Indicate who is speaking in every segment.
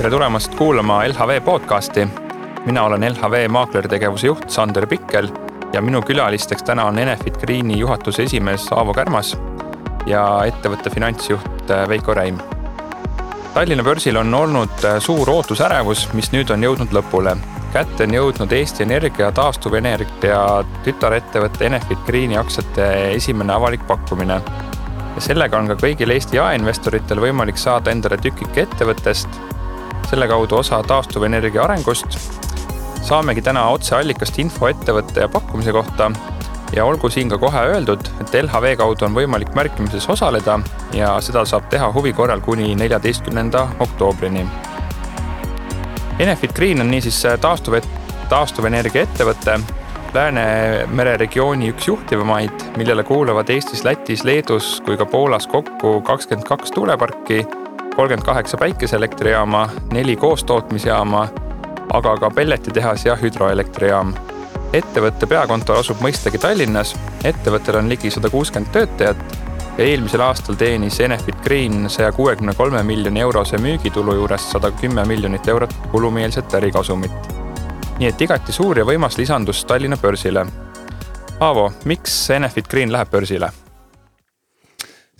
Speaker 1: Tere tulemast kuulama LHV podcasti. Mina olen LHV maaklertegevuse juht Sander Pikkel ja minu külalisteks täna on Enefit Greeni juhatuse esimees Aavo Kärmas ja ettevõtte finantsjuht Veiko Räim. Tallinna börsil on olnud suur ootusärevus, mis nüüd on jõudnud lõpule. Kätte on jõudnud Eesti Energia taastuvenergia tütarettevõtte Enefit Greeni aktsiate esimene avalik pakkumine. Ja sellega on ka kõigil Eesti jaeinvestoritel võimalik saada endale tükike ettevõttest, selle kaudu osa taastuvenergia arengust. Saamegi täna otseallikast info ettevõtte ja pakkumise kohta ja olgu siin ka kohe öeldud, et LHV kaudu on võimalik märkimises osaleda ja seda saab teha huvi korral kuni 14. oktoobrini. Enefit Green on niisiis taastuvenergia ettevõtte, Läänemere regiooni üks juhtivamaid, millele kuuluvad Eestis, Lätis, Leedus kui ka Poolas kokku 22 tuuleparki, 38 päikeseelektrijaama, 4 koostootmisjaama, aga ka pelletitehas ja hüdroelektrijaam. Ettevõtte peakontor asub mõistagi Tallinnas, ettevõttel on ligi 160 töötajat ja eelmisel aastal teenis Enefit Green 163 miljoni eurose müügitulu juures 110 miljonit eurot kulumeelset ärikasumit. Nii et igati suur ja võimas lisandus Tallinna börsile. Aavo, miks Enefit Green läheb börsile?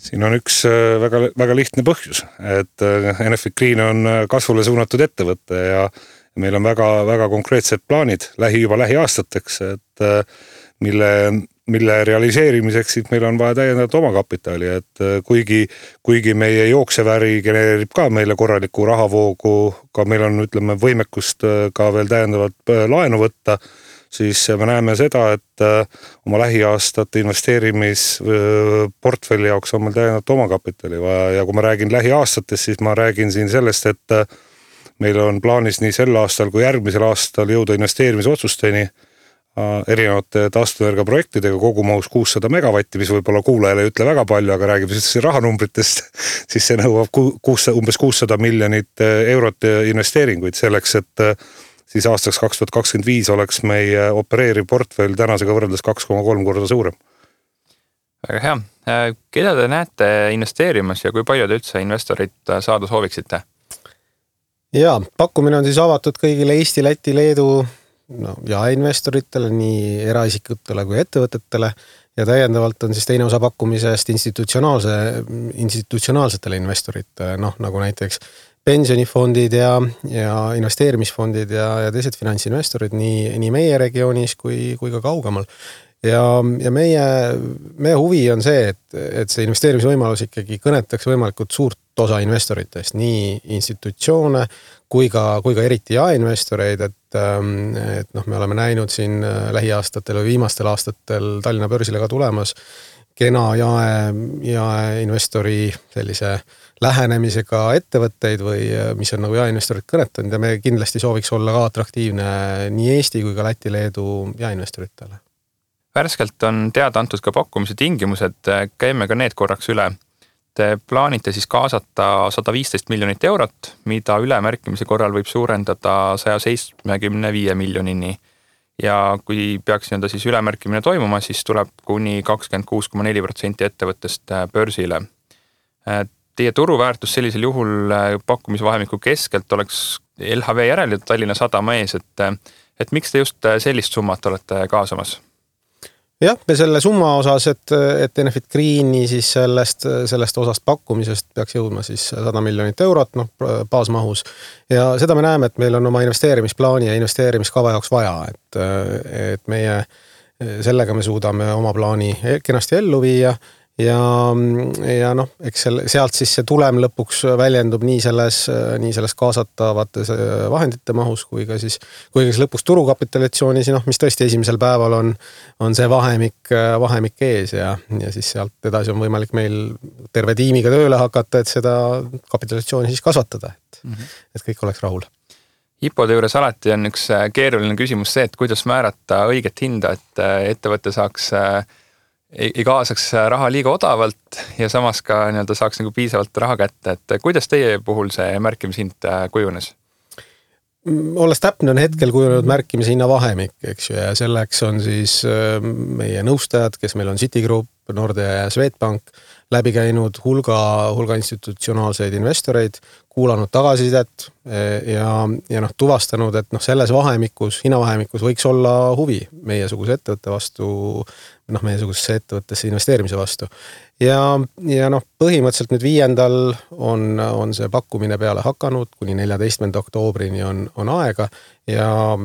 Speaker 2: Siin on üks väga lihtne põhjus, et Enefit Green on kasvule suunatud ettevõtte ja meil on väga konkreetsed plaanid juba lähiaastateks, et mille realiseerimiseks meil on vaja täiendavat omakapitali, et kuigi meie jookseväri genereerib ka meile korraliku rahavoogu, ka meil on võimekust ka veel täiendavalt laenu võtta, siis me näeme seda, et oma lähiaastate investeerimisportfelli jaoks on meil täiendavat omakapitali vaja ja kui ma räägin lähiaastatest, siis ma räägin siin sellest, et meil on plaanis nii sel aastal kui järgmisel aastal jõuda investeerimisotsusteni erinevate taastuvenergia projektidega kogumahus 600 megavatti, mis võib-olla kuulajale ei ütle väga palju, aga räägib rahanumbritest, siis see nõuab umbes 600 miljonit eurot investeeringuid selleks, et siis aastaks 2025 oleks meie opereeriv portfell tänasega võrreldes 2,3 korda suurem.
Speaker 1: Väga hea. Keda te näete investeerimas ja kui palju te üldse investorit saada sooviksite?
Speaker 3: Ja, pakkumine on siis avatud kõigile Eesti, Läti, Leedu jaeinvestoritele, nii eraisikutele kui ettevõtetele ja täiendavalt on siis teine osa pakkumisest institutsionaalsetele investoritele, nagu näiteks pensionifondid ja investeerimisfondid ja teised finantsinvestorid nii meie regioonis kui ka kaugemal. Ja meie huvi on see, et see investeerimisvõimalus ikkagi kõnetaks võimalikult suurt osa investoritest, nii institutsioone kui ka eriti jaeinvestoreid, et me oleme näinud siin lähiaastatel või viimastel aastatel Tallinna börsile ka tulemas kena jaeinvestori sellise lähenemisega ettevõtteid või mis on nagu jaeinvestorid kõnetanud ja me kindlasti sooviks olla ka atraktiivne nii Eesti kui ka Läti, Leedu jaeinvestoritele.
Speaker 1: Värskelt on teada antud ka pakkumise tingimused, käime ka need korraks üle. Te plaanite siis kaasata 115 miljonit eurot, mida ülemärkimise korral võib suurendada 175 miljonini. Ja kui peaks siis ülemärkimine toimuma, siis tuleb kuni 26,4% ettevõttest börsile. Teie turuväärtus sellisel juhul pakkumisvahemiku keskelt oleks LHV järel Tallinna Sadama ees, et miks te just sellist summat olete kaasamas?
Speaker 3: Jah, me selle summa osas, et Enefit Greeni siis sellest osast pakkumisest peaks jõudma siis 100 miljonit eurot baasmahus. Ja seda me näeme, et meil on oma investeerimisplaani ja investeerimiskava jaoks vaja, et meie sellega me suudame oma plaani kenasti ellu viia ja eks sealt siis see tulem lõpuks väljendub nii selles kaasatavates vahendite mahus kui ka siis lõpuks turukapitalatsioonis, mis tõesti esimesel päeval on see vahemik ees ja siis sealt edasi on võimalik meil terve tiimiga tööle hakata, et seda kapitalatsiooni siis kasvatada, et kõik oleks rahul.
Speaker 1: IPO-de juures alati on üks keeruline küsimus see, et kuidas määrata õiget hinda, et ettevõte ei kaasaks raha liiga odavalt ja samas ka saaks piisavalt raha kätte. Et kuidas teie puhul see märkimishind kujunes?
Speaker 3: Olles täpne on hetkel kujunenud märkimise hinna vahemik, eks ju, ja selleks on siis meie nõustajad, kes meil on Citigroup, Nordea ja Swedbank, läbi käinud hulga institutsionaalseid investoreid, kuulanud tagasisidet ja tuvastanud, et selles hinnavahemikus võiks olla huvi meiesuguse ettevõtte vastu, meiesugusesse ettevõttesse investeerimise vastu. Ja põhimõtteliselt nüüd 5. on see pakkumine peale hakanud, kuni 14. oktoobrini on aega ja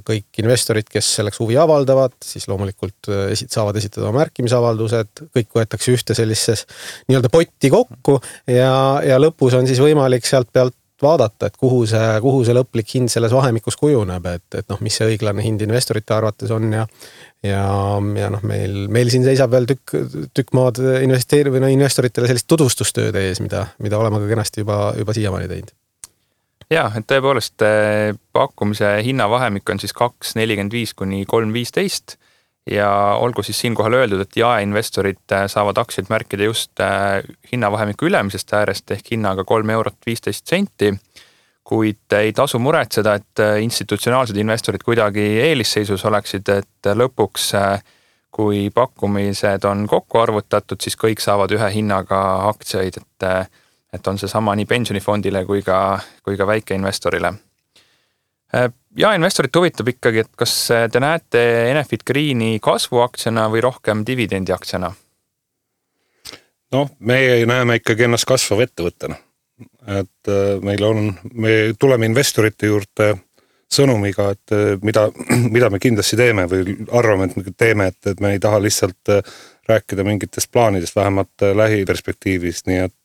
Speaker 3: kõik investorid, kes selleks huvi avaldavad, siis loomulikult saavad esitada märkimisavaldused, kõik võetakse ühte sellises nii-öelda potti kokku ja lõpus on siis võimalik sealt pealt vaadata, et kuhu see lõplik hind selles vahemikus kujuneb, et mis see õiglane hind investorite arvates on ja meil siin seisab veel tükk maad investoritele sellist tutvustustööd ees, mida oleme ka kenasti juba siiamaani teinud.
Speaker 1: Ja, et tõepoolest pakkumise hinnavahemik on siis 2.45 kuni 3.15 ja olgu siis siinkohal öeldud, et jaeinvestorid saavad aktsiaid märkida just hinnavahemiku ülemisest äärest ehk hinnaga 3,15 €, kuid ei tasu muretseda, et institutsionaalsed investorid kuidagi eelisseisus oleksid, et lõpuks, kui pakkumised on kokku arvutatud, siis kõik saavad ühe hinnaga aktsiaid, et on see sama nii pensionifondile kui ka väikeinvestorile. Ja investorit huvitab ikkagi, et kas te näete Enefit Greeni kasvuaktsiana või rohkem dividendiaktsiana?
Speaker 2: Meie näeme ikkagi ennast kasvava ettevõttena. Et me tuleme investorite juurde sõnumiga, et mida me kindlasti teeme või arvame, et me teeme, et me ei taha lihtsalt rääkida mingitest plaanidest, vähemalt lähiperspektiivist, nii et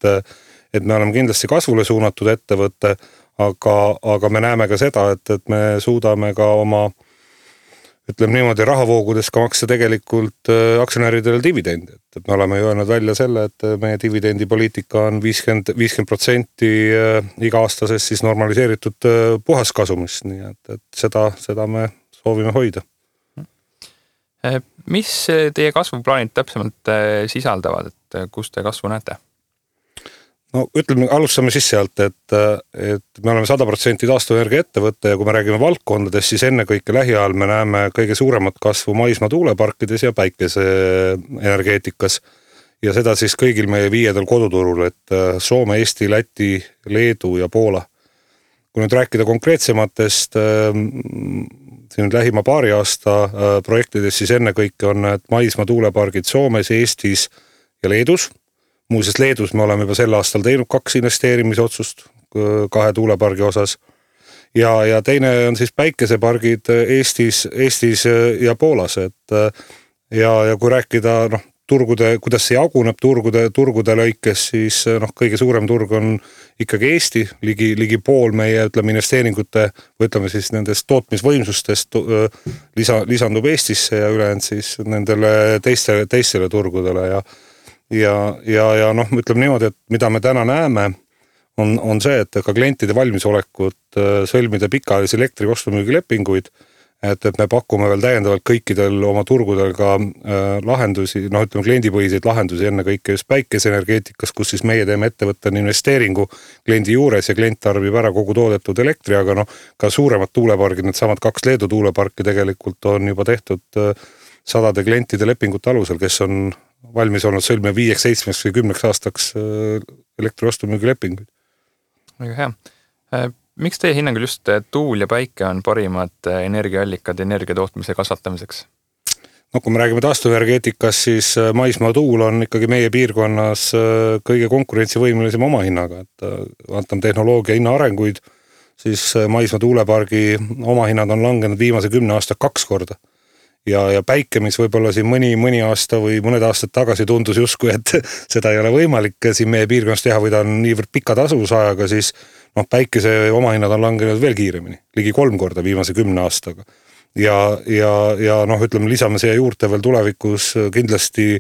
Speaker 2: me oleme kindlasti kasvule suunatud ettevõtte, aga me näeme ka seda, et me suudame ka oma, ütleme niimoodi, rahavoogudes ka maksta tegelikult aktsionäridele dividendi. Et me oleme öelnud välja selle, et meie dividendipoliitika on 50% iga-aastasest siis normaliseeritud puhaskasumist, nii et seda me soovime hoida.
Speaker 1: Mis teie kasvuplaanid täpsemalt sisaldavad, et kus te kasvu näete?
Speaker 2: Ütleme, alustame siis sealt, et me oleme 100% taastuvenergia ettevõtte ja kui me räägime valdkondadest, siis ennekõike lähiajal me näeme kõige suuremat kasvu maismaa tuuleparkides ja päikeseenergeetikas. Ja seda siis kõigil meie 5 koduturul, et Soome, Eesti, Läti, Leedu ja Poola. Kui nüüd rääkida konkreetsematest siin lähima paari aasta projektidest, siis ennekõike on maismaa tuulepargid Soomes, Eestis ja Leedus. Muuseas Leedus me oleme juba sel aastal teinud 2 investeerimisotsust 2 tuulepargi osas ja teine on siis päikesepargid Eestis ja Poolas, ja kui rääkida kuidas see jaguneb turgude lõikes, siis kõige suurem turg on ikkagi Eesti, ligi pool meie investeeringute või siis nendest tootmisvõimsustest lisandub Eestisse ja ülejäänud siis nendele teistele turgudele ja ütleme niimoodi, et mida me täna näeme, on see, et ka klientide valmisolekut sõlmida pikaajalisi elektriostumüügilepinguid, et me pakume veel täiendavalt kõikidel oma turgudel ka lahendusi, ütleme kliendipõhiseid lahendusi ennekõike just päikeseenergeetikas, kus siis meie teeme ettevõttena investeeringu kliendi juures ja klient tarbib ära kogu toodetud elektri, aga ka suuremad tuulepargid, need samad 2 Leedu tuuleparki tegelikult on juba tehtud sadade klientide lepingute alusel, kes on valmis olnud sõlmia 5, 7 või 10 aastaks elektriostumüügilepinguid.
Speaker 1: Väga hea. Miks teie hinnangul just tuul ja päike on parimad energiaallikad energia tootmise kasvatamiseks?
Speaker 2: Kui me räägime taastuvenergeetikas, siis maismaa tuul on ikkagi meie piirkonnas kõige konkurentsivõimelisem oma hinnaga, et vaatame tehnoloogia hinna arenguid, siis maismaa tuulepargi oma hinnad on langenud viimase 10 aasta 2 korda. Ja päike, mis võib-olla siin mõni aasta või mõned aastad tagasi tundus justkui, et seda ei ole võimalik siin meie piirkonnas teha või ta on niivõrd pika tasuvusajaga, siis päikese omahinnad on langenud veel kiiremini, ligi 3 korda viimase 10 aastaga. Ja ütleme, lisame siia juurde veel tulevikus kindlasti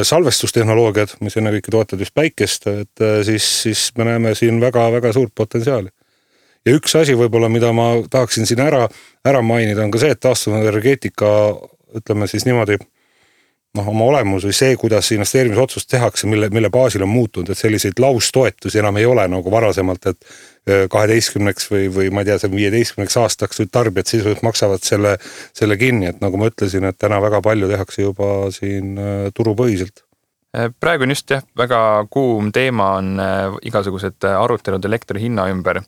Speaker 2: salvestustehnoloogiad, mis ennekõike toetavad just päikest, et siis me näeme siin väga suurt potentsiaali. Ja üks asi võib-olla, mida ma tahaksin siin ära mainida, on ka see, et taastuvenergeetika, ütleme siis niimoodi, oma olemus või see, kuidas investeerimisotsust tehakse, mille baasil on muutunud, et selliseid laustoetusi enam ei ole nagu varasemalt, et 12 või ma ei tea, 15 aastaks tarbijad sisuliselt maksavad selle kinni, et nagu ma ütlesin, et täna väga palju tehakse juba siin turupõhiselt.
Speaker 1: Praegu on just väga kuum teema on igasugused arutelud elektri hinna ümber.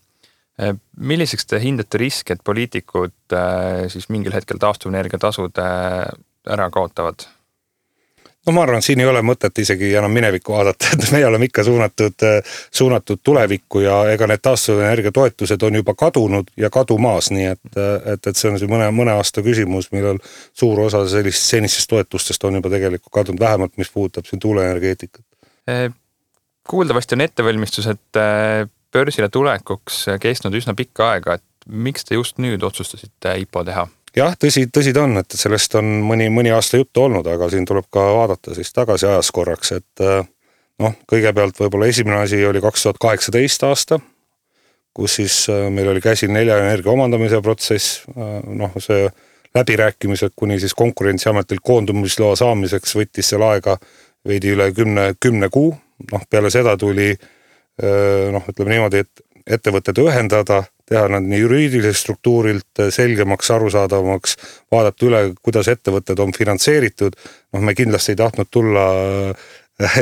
Speaker 1: Milliseks te hindate riski, et poliitikud siis mingil hetkel taastuvenergia tasud ära kaotavad?
Speaker 2: No ma arvan, siin ei ole mõtet isegi enam minevikku vaadata, et me oleme ikka suunatud tulevikku ja ega need taastuvenergia toetused on juba kadunud ja kadumaas, nii et see on see mõne aasta küsimus, millal suur osa senistest toetustest on juba tegelikult kadunud, vähemalt mis puudutab siin tuuleenergeetikat.
Speaker 1: Kuuldavasti on ettevalmistused börsile tulekuks kestnud üsna pikka aega, et miks te just nüüd otsustasite IPO teha?
Speaker 2: Jah, tõsi ta on, et sellest on mõni aasta juttu olnud, aga siin tuleb ka vaadata siis tagasi ajas korraks, et kõigepealt võib-olla esimene asi oli 2018 aasta, kus siis meil oli käsil 4 energia omandamise protsess, see läbirääkimised kuni siis Konkurentsiametilt koondumisloa saamiseks võttis seal aega veidi üle 10 kuu, peale seda tuli ütleme niimoodi, et ettevõtted ühendada, teha nad nii juriidiliselt struktuurilt selgemaks, arusaadavamaks, vaadata üle, kuidas ettevõtted on finantseeritud. Me kindlasti ei tahtnud tulla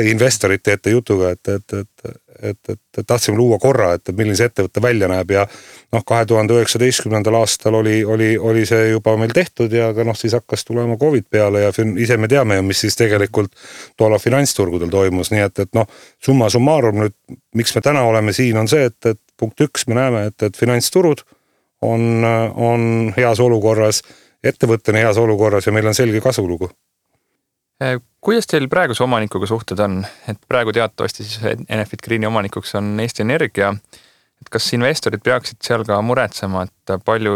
Speaker 2: investorite ette jutuga, et tahtsime luua korra, et milline see ettevõtte välja näeb ja 2019. aastal oli see juba meil tehtud ja ka siis hakkas tulema COVID peale ja ise me teame, mis siis tegelikult toona finantsturgudel toimus, nii et summa summarum nüüd, miks me täna oleme siin, on see, et punkt 1 me näeme, et finantsturud on heas olukorras, ettevõtte on heas olukorras ja meil on selge kasvulugu.
Speaker 1: Kuidas teil praeguse omanikuga suhted on? Et praegu teatavasti siis Enefit Greeni omanikuks on Eesti Energia. Et kas investorid peaksid seal ka muretsema, et palju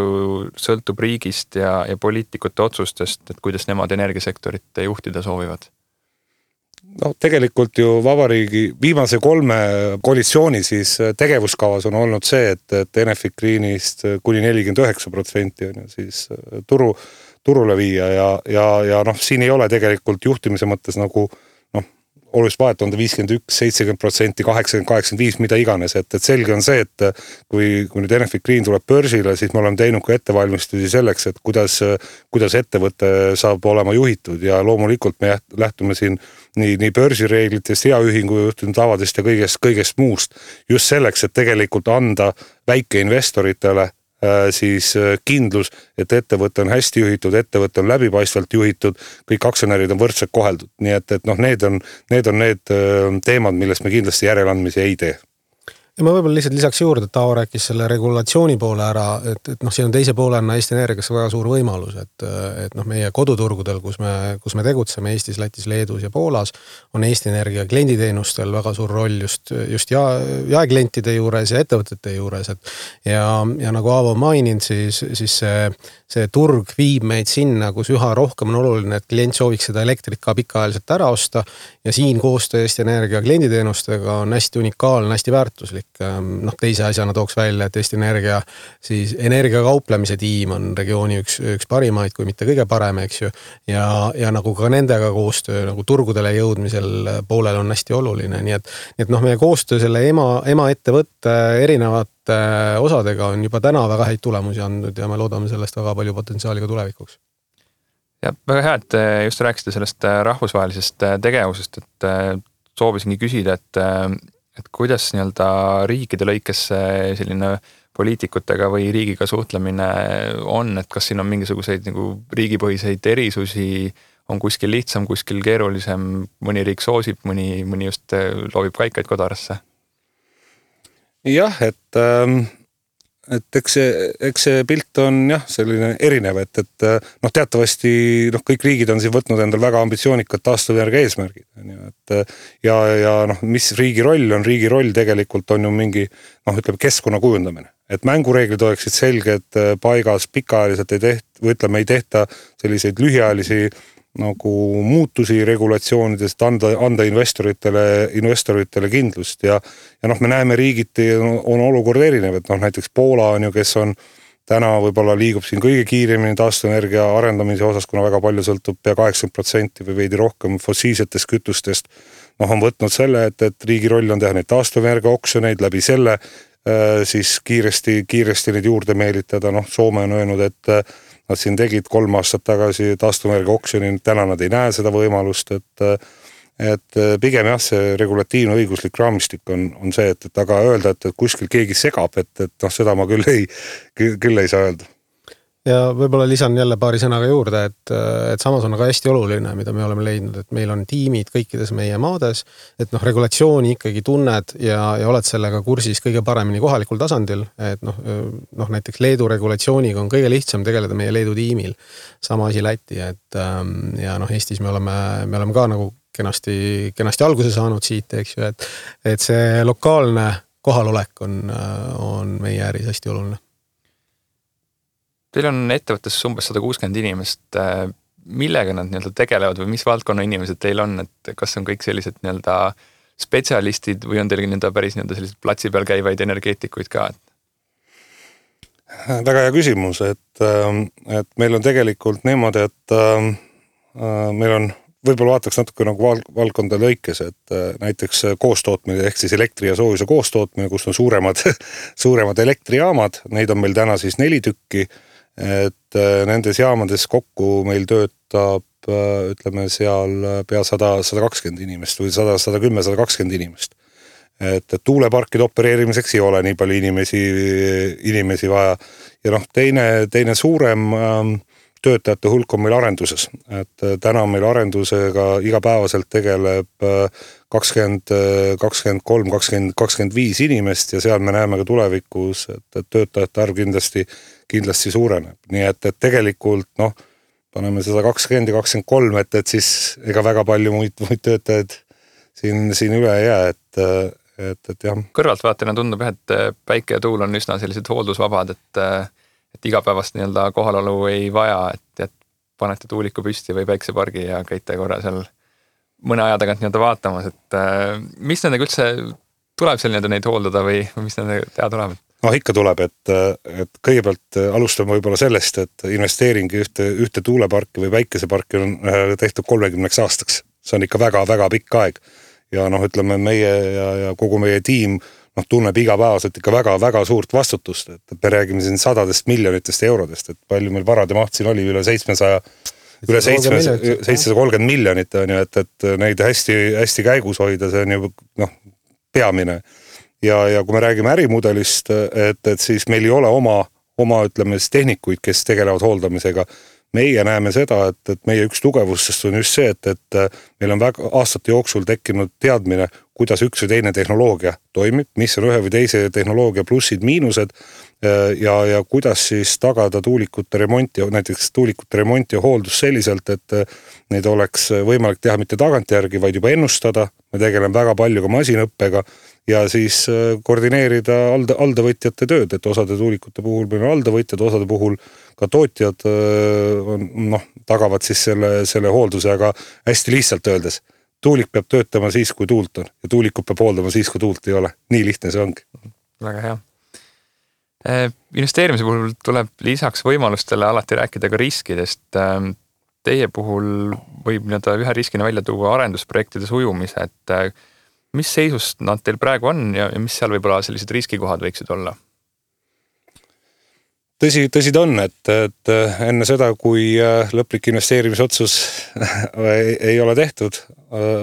Speaker 1: sõltub riigist ja poliitikute otsustest, et kuidas nemad energiasektorit juhtida soovivad?
Speaker 2: Tegelikult ju vabariigi viimase 3 koalitsiooni siis tegevuskavas on olnud see, et Enefit Greenist kuni 49% on ju siis turule viia ja siin ei ole tegelikult juhtimise mõttes nagu oluliselt vahet on 51, 70%, 80, 85, mida iganes, et selge on see, et kui nüüd Enefit Green tuleb börsile, siis me oleme teinud ka ettevalmistusi selleks, et kuidas ettevõte saab olema juhitud ja loomulikult me lähtume siin nii börsireeglitest, heaühingu juhtinud tavadest ja kõigest muust just selleks, et tegelikult anda väikeinvestoritele siis kindlus, et ettevõte on hästi juhitud, ettevõte on läbipaistvalt juhitud, kõik aktsionärid on võrdselt koheldud. Nii et need on need teemad, millest me kindlasti järeleandmisi ei tee.
Speaker 3: Ja ma võib-olla lihtsalt lisaks juurde, et Taavo rääkis selle regulatsiooni poole ära, et siin on teise poolena Eesti Energias väga suur võimalus, et meie koduturgudel, kus me tegutseme Eestis, Lätis, Leedus ja Poolas, on Eesti Energia klienditeenustel väga suur roll just jaeklientide juures ja ettevõtete juures. Ja nagu Aavo maininud, siis see turg viib meid sinna, kus üha rohkem on oluline, et klient sooviks seda elektrit ka pikaajaliselt ära osta ja siin koostöö Eesti Energia klienditeenustega on hästi unikaalne, hästi väärtuslik. Teise asjana tooks välja, et Eesti Energia siis energiakauplemise tiim on regiooni üks parimaid, kui mitte kõige parem, eks ju. Ja nagu ka nendega koostöö nagu turgudele jõudmisel poolel on hästi oluline. Nii et meie koostöö selle ema ettevõtte erinevate osadega on juba täna väga häid tulemusi andnud ja me loodame sellest väga palju potentsiaali ka tulevikuks.
Speaker 1: Ja väga hea, et just rääkisite sellest rahvusvahelisest tegevusest, et soovisingi küsida, et kuidas nii-öelda riikide lõikes selline poliitikutega või riigiga suhtlemine on, et kas siin on mingisuguseid nagu riigipõhiseid erisusi, on kuskil lihtsam, kuskil keerulisem, mõni riik soosib, mõni just loobib kaikaid kodarasse?
Speaker 2: Jah, et eks see pilt on selline erinev, et teatavasti kõik riigid on siin võtnud endal väga ambitsioonikad taastuvenergia eesmärgid. Ja mis riigi roll on? Riigi roll tegelikult on ju mingi keskkonna kujundamine. Et mängureeglid oleksid selged paigas, pikaajaliselt ei tehta selliseid lühiajalisi nagu muutusi regulatsioonidest, anda investoritele kindlust ja me näeme riigiti on olukord erinev, et näiteks Poola on ju, kes on täna võib-olla liigub siin kõige kiiremini taastuvenergia arendamise osas, kuna väga palju sõltub pea 80% või veidi rohkem fossiilsetest kütustest. On võtnud selle, et riigi roll on teha neid taastuvenergia oksjoneid läbi selle siis kiiresti neid juurde meelitada. Soome on öelnud, et nad siin tegid 3 aastat tagasi taastuvenergia oksjoni, täna nad ei näe seda võimalust, et pigem jah, see regulatiivne õiguslik raamistik on see, et aga öelda, et kuskil keegi segab, et seda ma küll ei saa öelda.
Speaker 3: Ja võib-olla lisan jälle paari sõnaga juurde, et samas on aga hästi oluline, mida me oleme leidnud, et meil on tiimid kõikides meie maades, et regulatsiooni ikkagi tunned ja oled sellega kursis kõige paremini kohalikul tasandil, et näiteks Leedu regulatsiooniga on kõige lihtsam tegeleda meie Leedu tiimil. Sama asi Läti, ja Eestis me oleme ka nagu kenasti alguse saanud siit, eks ju, et see lokaalne kohalolek on meie äris hästi oluline.
Speaker 1: Teil on ettevõttes umbes 160 inimest. Millega nad tegelevad või mis valdkonna inimesed teil on? Et kas on kõik sellised spetsialistid või on teil päris sellised platsi peal käivaid energeetikuid ka?
Speaker 2: Väga hea küsimus, et meil on tegelikult niimoodi, et meil on võib-olla vaataks natuke nagu valdkonda lõikes, et näiteks koostootmine ehk siis elektri ja soojuse koostootmine, kus on suuremad elektrijaamad, neid on meil täna siis 4 tükki, et nendes jaamades kokku meil töötab, ütleme seal pea 120 inimest või 110-120 inimest. Et tuuleparkide opereerimiseks ei ole nii palju inimesi vaja. Ja teine suurem töötajate hulk on meil arenduses, et täna meil arendusega igapäevaselt tegeleb 20, 23, 20, 25 inimest ja seal me näeme ka tulevikus, et töötajate arv kindlasti suureneb. Nii et tegelikult paneme seda 20 ja 23, et siis ega väga palju muid töötajaid siin üle ei jää, et jah.
Speaker 1: Kõrvaltvaatajana tundub, et päike ja tuul on üsna sellised hooldusvabad, et igapäevast kohalolu ei vaja, et panete tuuliku püsti või päiksepargi ja käite korra seal mõne aja tagant vaatamas, et mis nendega üldse tuleb seal neid hooldada või mis nendega teha tuleb?
Speaker 2: Ikka tuleb, et kõigepealt alustame võib-olla sellest, et investeering ühte tuuleparki või päikeseparki on tehtud 30 aastaks. See on ikka väga-väga pikk aeg. Ja ütleme meie ja kogu meie tiim tunneb igapäevaselt ikka väga-väga suurt vastutust, et me räägime siin 100 miljonitest eurodest, et palju meil varade maht siin oli üle 730 miljonit, et neid hästi käigus hoida, see on ju peamine. Ja kui me räägime ärimudelist, et siis meil ei ole oma ütleme tehnikuid, kes tegelevad hooldamisega. Meie näeme seda, et meie üks tugevustest on just see, et meil on väga aastate jooksul tekkinud teadmine, kuidas üks või teine tehnoloogia toimib, mis on ühe või teise tehnoloogia plussid, miinused ja kuidas siis tagada tuulikute remonti, näiteks tuulikute remonti ja hooldus selliselt, et neid oleks võimalik teha mitte tagantjärgi, vaid juba ennustada. Me tegeleme väga palju ka masinõppega ja siis koordineerida aldavõtjate tööd, et osade tuulikute puhul meil on aldavõtjad, osade puhul ka tootjad tagavad siis selle hoolduse, aga hästi lihtsalt öeldes. Tuulik peab töötama siis, kui tuult on ja tuulikut peab hooldama siis, kui tuult ei ole. Nii lihtne see ongi.
Speaker 1: Väga hea. Investeerimise puhul tuleb lisaks võimalustele alati rääkida ka riskidest. Teie puhul võib ühe riskina välja tuua arendusprojektide sujumise, et mis seisust nad teil praegu on ja mis seal võib-olla sellised riskikohad võiksid olla?
Speaker 2: Tõsi ta on, et enne seda, kui lõplik investeerimisotsus ei ole tehtud,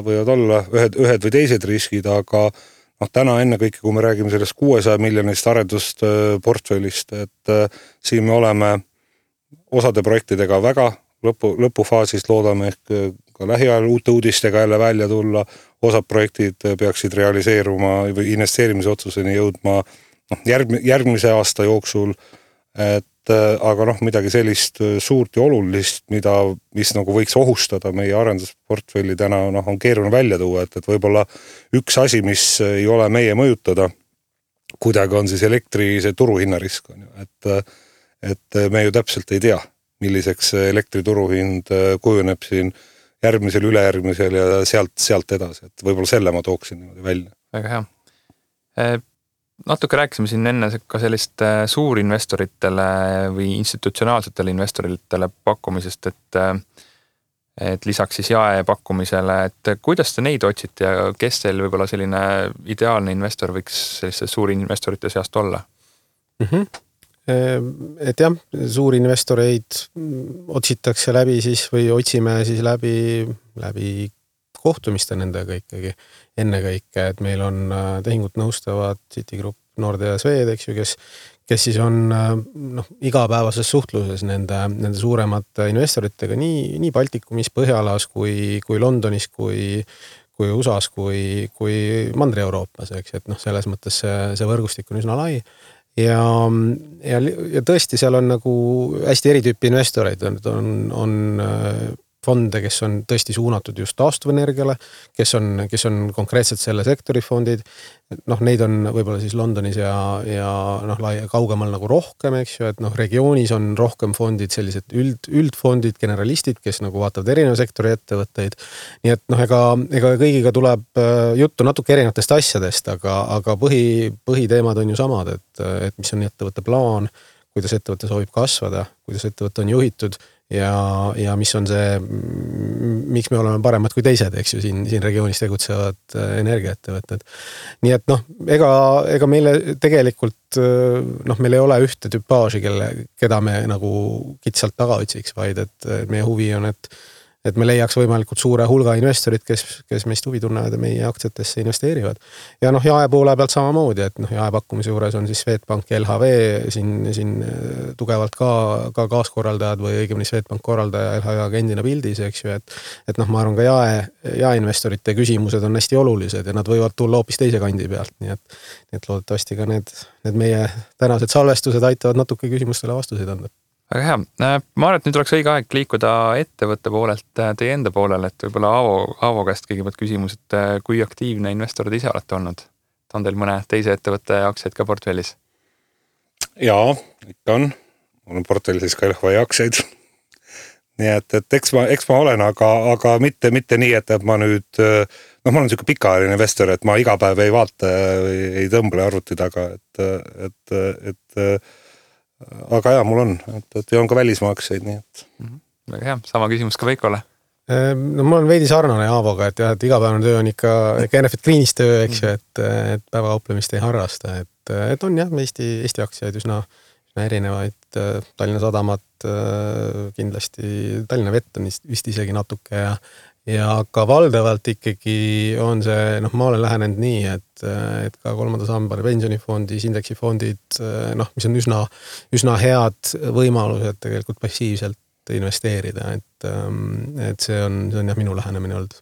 Speaker 2: võivad olla ühed või teised riskid, aga täna enne kõike, kui me räägime sellest 600 miljonist arendust portfellist, et siin me oleme osade projektidega väga lõpufaasist, loodame ehk ka lähiajal uute uudistega jälle välja tulla, osad projektid peaksid realiseeruma või investeerimise otsuseni jõudma järgmise aasta jooksul, aga midagi sellist suurt ja olulist, mis võiks ohustada meie arendusportfelli täna on keeruline välja tuua, et võib-olla üks asi, mis ei ole meie mõjutada, kuidagi on siis elektri see turuhinnarisk, et me ju täpselt ei tea, milliseks elektri turuhind kujuneb siin järgmisel, ülejärgmisel ja sealt edasi, et võib-olla selle ma tooksin välja.
Speaker 1: Väga hea. natuke rääkisime siin enne ka sellist suurinvestoritele või institutsionaalsetele investoritele pakkumisest, et lisaks siis jaepakkumisele, et kuidas te neid otsite ja kes teil võib-olla selline ideaalne investor võiks selliste suurinvestorite seast olla?
Speaker 3: Et jah, suurinvestoreid otsitakse läbi siis või otsime siis läbi kohtumiste nendega ikkagi ennekõike, et meil on tehingut nõustavad Citigroup, Nordea ja Swed, eks ju, kes siis on igapäevases suhtluses nende suuremate investoritega nii Baltikumis, Põhjalas kui Londonis, kui USAs, kui Mandri-Euroopas, eks, et selles mõttes see võrgustik on üsna lai. Ja tõesti seal on nagu hästi eritüüpi investoreid, on fonde, kes on tõesti suunatud just taastuvenergiale, kes on konkreetselt selle sektori fondid. Neid on võib-olla siis Londonis ja kaugemal nagu rohkem, eks ju, et regioonis on rohkem fondid, sellised üldfondid, generalistid, kes nagu vaatavad erineva sektori ettevõtteid. Nii et ega kõigiga tuleb juttu natuke erinevatest asjadest, aga põhiteemad on ju samad, et mis on ettevõtte plaan, kuidas ettevõte soovib kasvada, kuidas ettevõte on juhitud ja mis on see, miks me oleme paremad kui teised, eks ju, siin regioonis tegutsevad energiaettevõtted. Nii et ega meile tegelikult, meil ei ole ühte tüpaaži, keda me nagu kitsalt taga otsiks, vaid et meie huvi on, et me leiaks võimalikult suure hulga investorid, kes meist huvi tunnevad ja meie aktsiatesse investeerivad. Ja jaepoole pealt samamoodi, et jaepakkumise juures on siis Swedbank ja LHV siin tugevalt ka kaaskorraldajad või õigemini Swedbank korraldaja LHV agendina pildis, eks ju, et ma arvan ka jaeinvestorite küsimused on hästi olulised ja nad võivad tulla hoopis teise kandi pealt, nii et loodetavasti ka need meie tänased salvestused aitavad natuke küsimustele vastuseid anda.
Speaker 1: Väga hea. Ma arvan, et nüüd oleks õige aeg liikuda ettevõtte poolelt teie enda poolele, et võib-olla Aavo käest kõigepealt küsimus, et kui aktiivne investor te ise olete olnud? On teil mõne teise ettevõtte aktsiaid ka portfellis?
Speaker 2: Jaa, ikka on. Mul on portfellis ka LHV aktsiaid. Nii et eks ma olen, aga mitte nii, et ma nüüd, ma olen selline pikaajaline investor, et ma iga päev ei vaata, ei tõmble arvuti taga, aga jah, mul on, et on ka välismaa aktsiaid, nii et.
Speaker 1: Väga hea, sama küsimus ka Veikole.
Speaker 3: Mul on veidi sarnane Aavoga, et jah, et igapäevane töö on ikka Enefit Greenis töö, eks ju, et päevakauplemist ei harrasta, et on jah, Eesti aktsiaid üsna erinevaid, Tallinna Sadamat kindlasti, Tallinna Vett on vist isegi natuke ja ka valdavalt ikkagi on see, ma olen lähenenud nii, et ka kolmanda samba pensionifondis, indeksifondid, mis on üsna head võimalused tegelikult passiivselt investeerida, et see on jah minu lähenemine olnud.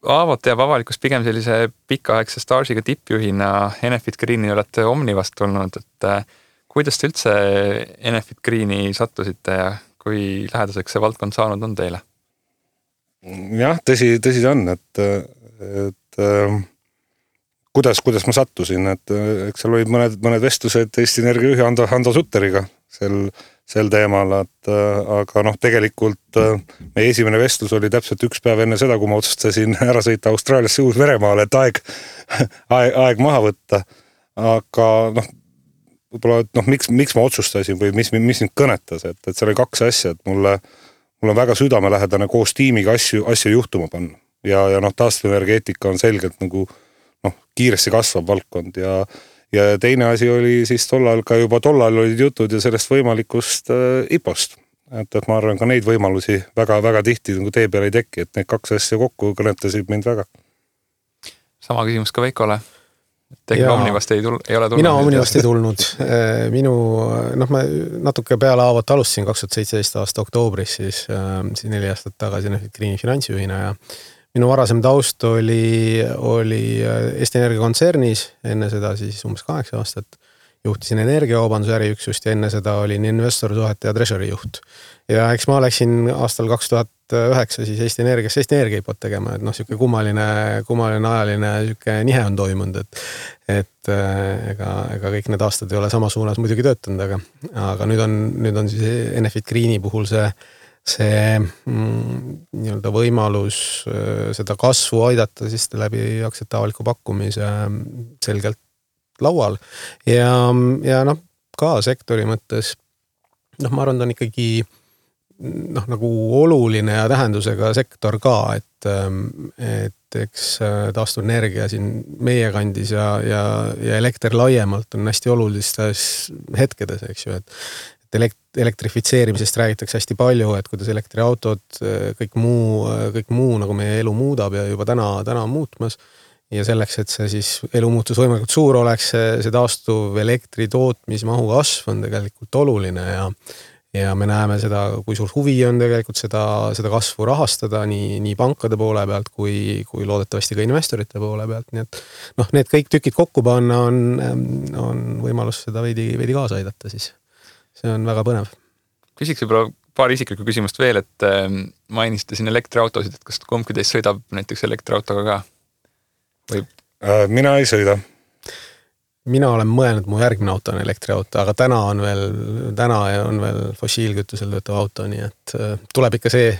Speaker 1: Aavot teab avalikust pigem sellise pikaaegse staažiga tippjuhina Enefit Greeni olete Omnivast tulnud, et kuidas te üldse Enefit Greeni sattusite ja kui lähedaseks see valdkond saanud on teile?
Speaker 2: Jah, tõsi ta on, et kuidas ma sattusin, et eks seal olid mõned vestlused Eesti Energia juhi Hando Sutteriga sel teemal, aga tegelikult meie esimene vestlus oli täpselt üks päev enne seda, kui ma otsustasin ära sõita Austraaliasse Uus-Veremaale, et aeg maha võtta, aga võib-olla, miks ma otsustasin või mis mind kõnetas, et seal oli kaks asja, et mul on väga südamelähedane koos tiimiga asju juhtuma panna ja taastuvenergeetika on selgelt nagu kiiresti kasvav valdkond ja teine asi oli siis tollal olid jutud ja sellest võimalikust IPO-st, et ma arvan ka neid võimalusi väga tihti nagu tee peal ei teki, et need kaks asja kokku kõnetasid mind väga.
Speaker 1: Sama küsimus ka Veikole. Teie Omnivast ei ole tulnud?
Speaker 3: Mina Omnivast ei tulnud. Ma natuke peale Aavot alustasin 2017 aasta oktoobris, siis 4 aastat tagasi Enefit Greeni finantsjuhina ja minu varasem taust oli Eesti Energia kontsernis, enne seda siis umbes 8 aastat. Juhtisin energiakaubanduse äriüksust ja enne seda olin investorsuhete ja treasury juht. Ja eks ma läksin aastal 2009 siis Eesti Energia IPO tegema, et siuke kummaline ajaline siuke nihe on toimunud, et ega kõik need aastad ei ole sama suunas muidugi töötanud, aga nüüd on siis Enefit Greeni puhul see nii-öelda võimalus seda kasvu aidata siis läbi aktsiate avaliku pakkumise selgelt laual ja noh, ka sektori mõttes, noh, ma arvan, ta on ikkagi noh, nagu oluline ja tähendusega sektor ka, et eks taastuvenergia siin meie kandis ja elekter laiemalt on hästi olulistes hetkedes, eks ju, et elektrifitseerimisest räägitakse hästi palju, et kuidas elektriautod, kõik muu nagu meie elu muudab ja juba täna on muutmas. Ja selleks, et see siis elu muutus võimalikult suur oleks, see taastuv elektri tootmismahu kasv on tegelikult oluline ja me näeme seda, kui suur huvi on tegelikult seda kasvu rahastada nii pankade poole pealt kui loodetavasti ka investorite poole pealt. Nii et noh, need kõik tükid kokku panna on võimalus seda veidi kaasa aidata siis. See on väga põnev.
Speaker 1: Küsiks võib-olla paar isiklikku küsimust veel, et mainisite siin elektriautosid, et kas kumbki teist sõidab näiteks elektriautoga ka? Või?
Speaker 2: Mina ei sõida.
Speaker 3: Mina olen mõelnud, mu järgmine auto on elektriauto, aga täna on veel fossiilkütusel töötav auto, nii et tuleb ikka see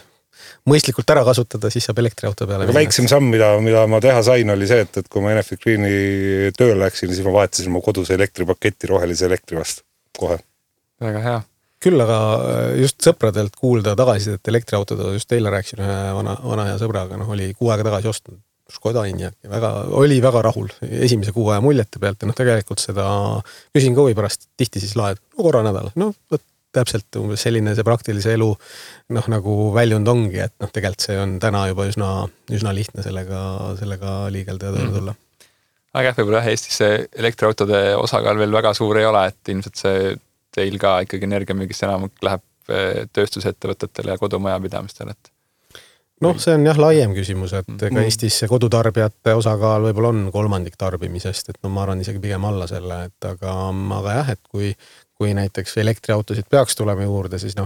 Speaker 3: mõistlikult ära kasutada, siis saab elektriauto peale.
Speaker 2: Väiksem samm, mida ma teha sain, oli see, et kui ma Enefit Greeni tööl läksin, siis ma vahetasin mu koduse elektripaketti rohelise elektri vastu kohe.
Speaker 1: Väga hea.
Speaker 3: Küll aga just sõpradelt kuulda tagasi, et elektriautod, just teile rääkisin ühe vana hea sõbraga, oli 6 aega tagasi ostnud Škoda Enyaq ja oli väga rahul esimese 6 aja muljete pealt ja tegelikult seda küsin ka või pärast tihti siis laed, korra nädal, täpselt umbes selline see praktilise elu nagu väljund ongi, et tegelikult see on täna juba üsna lihtne sellega liigelda ja tööle tulla.
Speaker 1: Aga võib-olla Eestis see elektriautode osakaal veel väga suur ei ole, et ilmselt see teil ka ikkagi energiamüügist enam läheb tööstusettevõtetele ja kodumajapidamistele, et
Speaker 3: see on jah laiem küsimus, et ka Eestis see kodutarbijate osakaal võib-olla on 3% tarbimisest, et ma arvan isegi pigem alla selle, et aga jah, et kui näiteks elektriautosid peaks tulema juurde, siis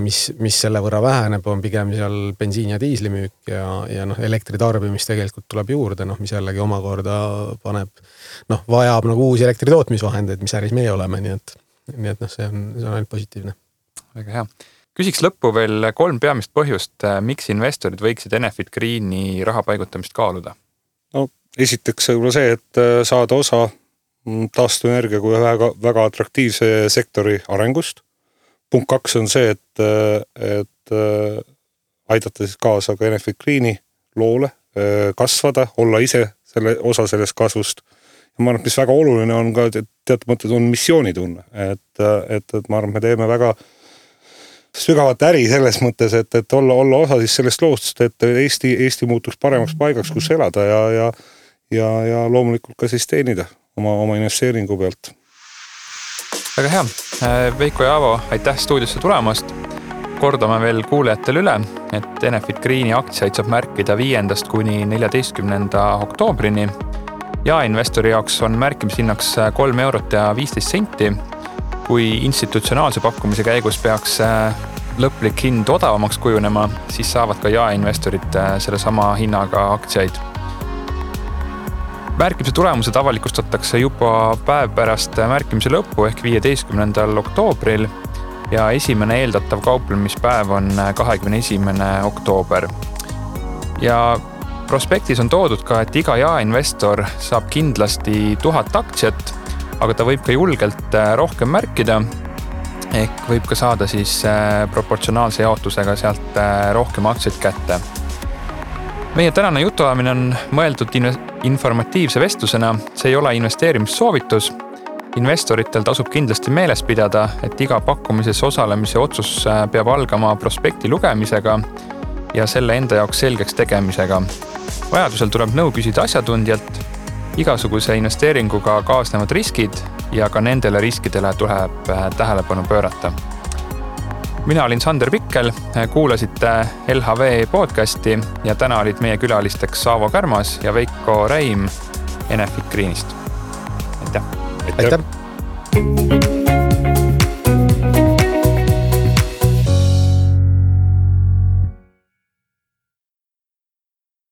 Speaker 3: mis selle võrra väheneb, on pigem seal bensiin ja diislimüük ja elektritarbimist tegelikult tuleb juurde, mis jällegi omakorda vajab uusi elektritootmisvahendeid, mis äris meie oleme, nii et see on ainult positiivne.
Speaker 1: Väga hea. Küsiks lõppu veel 3 peamist põhjust, miks investorid võiksid Enefit Greeni raha paigutamist kaaluda?
Speaker 2: Esiteks võib-olla see, et saada osa taastuvenergia kui väga atraktiivse sektori arengust. Punkt 2 on see, et aidata siis kaasa ka Enefit Greeni loole kasvada, olla ise osa sellest kasvust. Ja ma arvan, mis väga oluline on ka teatud mõttes on missioonitunne, et ma arvan, me teeme väga sügavat äri selles mõttes, et olla osa siis sellest loost, et Eesti muutuks paremaks paigaks, kus elada ja loomulikult ka siis teenida oma investeeringu pealt.
Speaker 1: Väga hea. Veiko ja Aavo, aitäh stuudiosse tulemast. Kordame veel kuulajatele üle, et Enefit Greeni aktsiaid saab märkida 5. kuni 14. oktoobrini. Ja investori jaoks on märkimishinnaks 3 eurot ja 15 senti. Kui institutsionaalse pakkumise käigus peaks lõplik hind odavamaks kujunema, siis saavad ka jaeinvestorid selle sama hinnaga aktsiaid. Märkimise tulemused avalikustatakse juba päev pärast märkimise lõppu ehk 15. oktoobril ja esimene eeldatav kauplemispäev on 21. oktoober. Ja prospektis on toodud ka, et iga jaeinvestor saab kindlasti 1000 aktsiat, aga ta võib ka julgelt rohkem märkida, ehk võib ka saada siis proportsionaalse jaotusega sealt rohkem aktsiaid kätte. Meie tänane jutuajamine on mõeldud informatiivse vestlusena, see ei ole investeerimissoovitus. Investoritel tasub kindlasti meeles pidada, et iga pakkumises osalemise otsus peab algama prospekti lugemisega ja selle enda jaoks selgeks tegemisega. Vajadusel tuleb nõu küsida asjatundjalt, igasuguse investeeringuga kaasnevad riskid ja ka nendele riskidele tuleb tähelepanu pöörata. Mina olin Sander Pikkel, kuulasite LHV podcasti ja täna olid meie külalisteks Aavo Kärmas ja Veiko Räim Enefit Greenist. Aitäh!
Speaker 3: Aitäh!